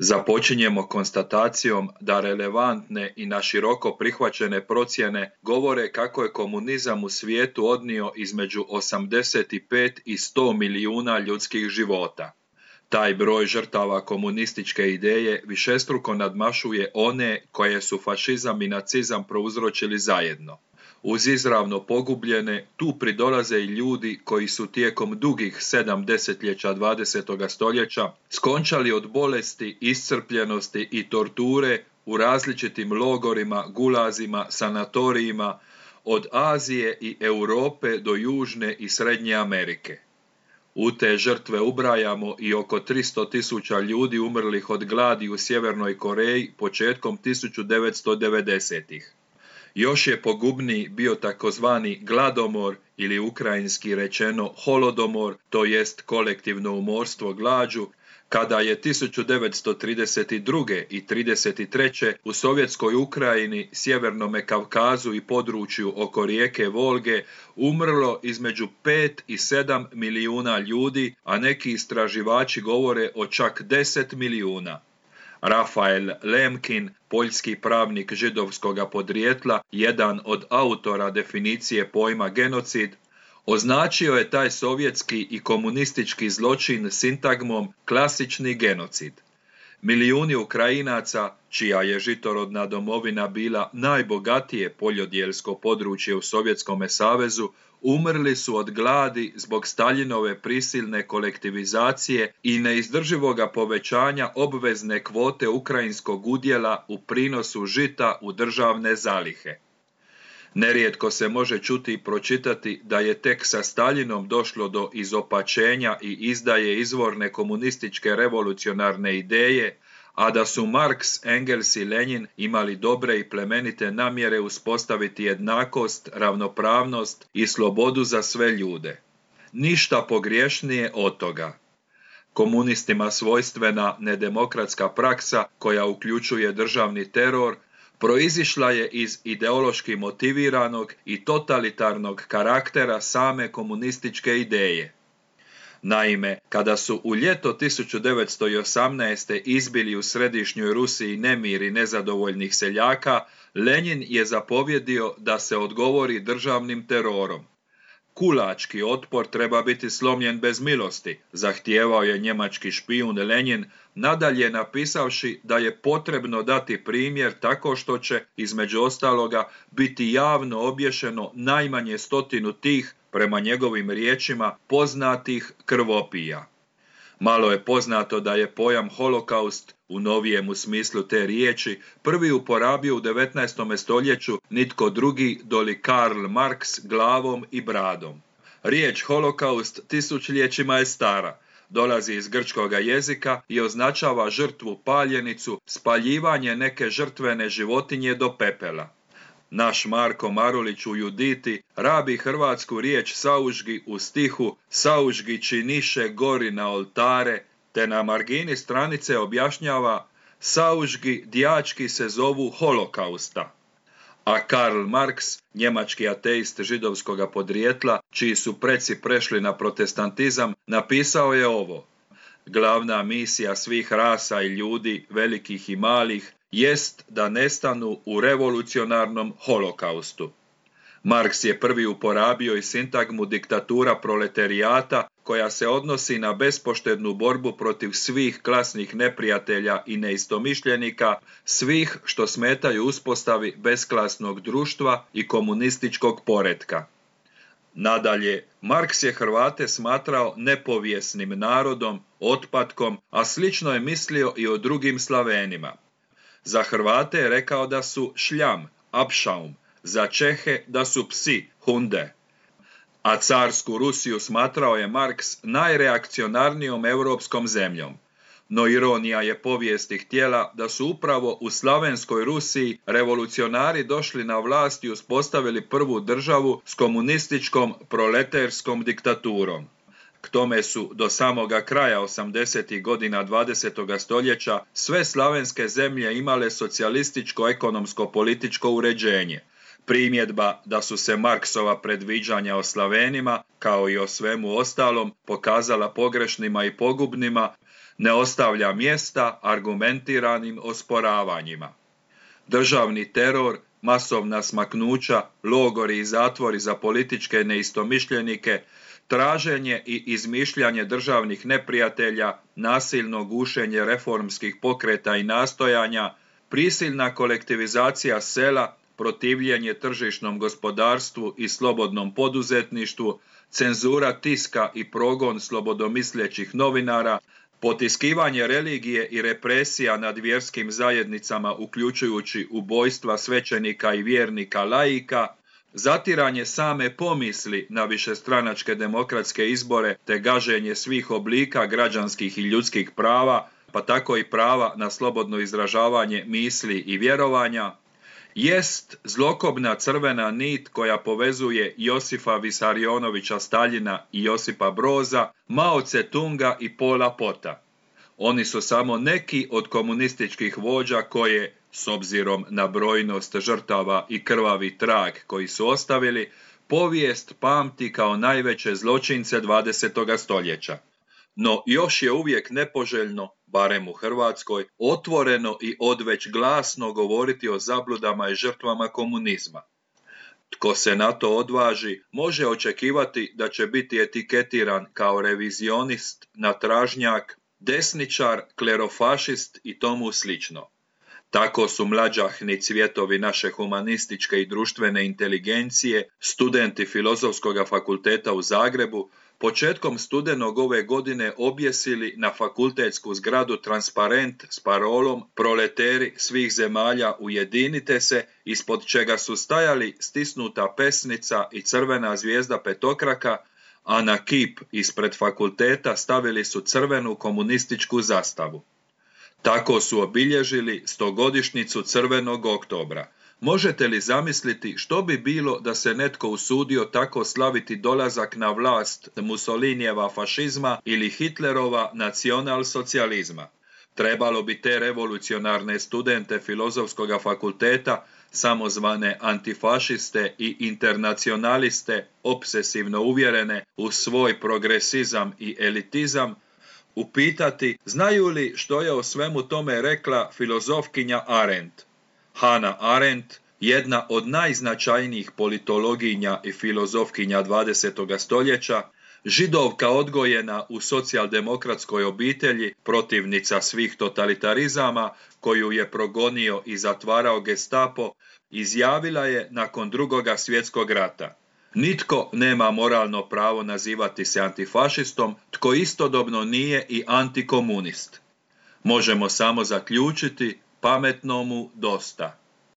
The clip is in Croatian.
Započinjemo konstatacijom da relevantne i naširoko prihvaćene procjene govore kako je komunizam u svijetu odnio između 85 i 100 milijuna ljudskih života. Taj broj žrtava komunističke ideje višestruko nadmašuje one koje su fašizam i nacizam prouzročili zajedno. Uz izravno pogubljene, tu pridolaze i ljudi koji su tijekom dugih 7 desetljeća 20. stoljeća skončali od bolesti, iscrpljenosti i torture u različitim logorima, gulazima, sanatorijima, od Azije i Europe do Južne i Srednje Amerike. U te žrtve ubrajamo i oko 300.000 ljudi umrlih od gladi u Sjevernoj Koreji početkom 1990-ih. Još je pogubniji bio takozvani gladomor ili ukrajinski rečeno holodomor, to jest kolektivno umorstvo glađu, kada je 1932. i 1933. u Sovjetskoj Ukrajini, Sjevernome Kavkazu i području oko rijeke Volge umrlo između 5 i 7 milijuna ljudi, a neki istraživači govore o čak 10 milijuna. Rafael Lemkin, poljski pravnik židovskoga podrijetla, jedan od autora definicije pojma genocid, označio je taj sovjetski i komunistički zločin sintagmom klasični genocid. Milijuni Ukrajinaca, čija je žitorodna domovina bila najbogatije poljodjelsko područje u Sovjetskome savezu, umrli su od gladi zbog Staljinove prisilne kolektivizacije i neizdrživoga povećanja obvezne kvote ukrajinskog udjela u prinosu žita u državne zalihe. Nerijetko se može čuti i pročitati da je tek sa Staljinom došlo do izopačenja i izdaje izvorne komunističke revolucionarne ideje, a da su Marks, Engels i Lenin imali dobre i plemenite namjere uspostaviti jednakost, ravnopravnost i slobodu za sve ljude. Ništa pogriješnije od toga. Komunistima svojstvena nedemokratska praksa, koja uključuje državni teror, proizišla je iz ideološki motiviranog i totalitarnog karaktera same komunističke ideje. Naime, kada su u ljeto 1918. izbili u središnjoj Rusiji nemiri nezadovoljnih seljaka, Lenin je zapovjedio da se odgovori državnim terorom. Kulački otpor treba biti slomljen bez milosti, zahtijevao je njemački špijun Lenin, nadalje napisavši da je potrebno dati primjer tako što će, između ostaloga, biti javno obješeno najmanje 100 tih, prema njegovim riječima, poznatih krvopija. Malo je poznato da je pojam holokaust, u novijemu smislu te riječi, prvi uporabio u 19. stoljeću nitko drugi doli Karl Marx glavom i bradom. Riječ holokaust tisućljećima je stara, dolazi iz grčkoga jezika i označava žrtvu paljenicu, spaljivanje neke žrtvene životinje do pepela. Naš Marko Marulić u Juditi rabi hrvatsku riječ saužgi u stihu saužgi činiše gori na oltare, te na margini stranice objašnjava saužgi djački se zovu holokausta. A Karl Marx, njemački ateist židovskoga podrijetla, čiji su preci prešli na protestantizam, napisao je ovo: glavna misija svih rasa i ljudi, velikih i malih, jest da nestanu u revolucionarnom holokaustu. Marks je prvi uporabio i sintagmu diktatura proletarijata, koja se odnosi na bespoštednu borbu protiv svih klasnih neprijatelja i neistomišljenika, svih što smetaju uspostavi besklasnog društva i komunističkog poretka. Nadalje, Marks je Hrvate smatrao nepovijesnim narodom, otpatkom, a slično je mislio i o drugim Slavenima. Za Hrvate je rekao da su šljam, apšaum, za Čehe da su psi, hunde. A carsku Rusiju smatrao je Marks najreakcionarnijom europskom zemljom. No ironija je povijesti htjela da su upravo u slavenskoj Rusiji revolucionari došli na vlast i uspostavili prvu državu s komunističkom proleterskom diktaturom. K tome su do samoga kraja 80. godina 20. stoljeća sve slavenske zemlje imale socijalističko ekonomsko-političko uređenje. Primjedba da su se Marksova predviđanja o Slavenima, kao i o svemu ostalom, pokazala pogrešnima i pogubnima, Ne ostavlja mjesta argumentiranim osporavanjima. Državni teror, masovna smaknuća, logori i zatvori za političke neistomišljenike, traženje i izmišljanje državnih neprijatelja, nasilno gušenje reformskih pokreta i nastojanja, prisilna kolektivizacija sela, protivljenje tržišnom gospodarstvu i slobodnom poduzetništvu, cenzura tiska i progon slobodomislećih novinara, potiskivanje religije i represija nad vjerskim zajednicama uključujući ubojstva svećenika i vjernika laika, zatiranje same pomisli na višestranačke demokratske izbore te gaženje svih oblika građanskih i ljudskih prava, pa tako i prava na slobodno izražavanje misli i vjerovanja, jest zlokobna crvena nit koja povezuje Josifa Visarionovića Staljina i Josipa Broza, Mao Tse-tunga i Pola Pota. Oni su samo neki od komunističkih vođa koje, s obzirom na brojnost žrtava i krvavi trag koji su ostavili, povijest pamti kao najveće zločince 20. stoljeća. No još je uvijek nepoželjno, barem u Hrvatskoj, otvoreno i odveć glasno govoriti o zabludama i žrtvama komunizma. Tko se na to odvaži, može očekivati da će biti etiketiran kao revizionist, natražnjak, desničar, klerofašist i tomu slično. Tako su mlađahni cvjetovi naše humanističke i društvene inteligencije, studenti Filozofskog fakulteta u Zagrebu, početkom studenog ove godine objesili na fakultetsku zgradu transparent s parolom "Proleteri svih zemalja ujedinite se", ispod čega su stajali stisnuta pesnica i crvena zvijezda petokraka, a na kip ispred fakulteta stavili su crvenu komunističku zastavu. Tako su obilježili 100-godišnjicu Crvenog oktobra. Možete li zamisliti što bi bilo da se netko usudio tako slaviti dolazak na vlast Mussolinijeva fašizma ili Hitlerova nacionalsocijalizma? Trebalo bi te revolucionarne studente Filozofskog fakulteta, samozvane antifašiste i internacionaliste, obsesivno uvjerene u svoj progresizam i elitizam, upitati znaju li što je o svemu tome rekla filozofkinja Arendt. Hannah Arendt, jedna od najznačajnijih politologinja i filozofkinja 20. stoljeća, Židovka odgojena u socijaldemokratskoj obitelji, protivnica svih totalitarizama, koju je progonio i zatvarao Gestapo, izjavila je nakon II. Svjetskog rata: "Nitko nema moralno pravo nazivati se antifašistom, tko istodobno nije i antikomunist. Možemo samo zaključiti, pametnomu dosta."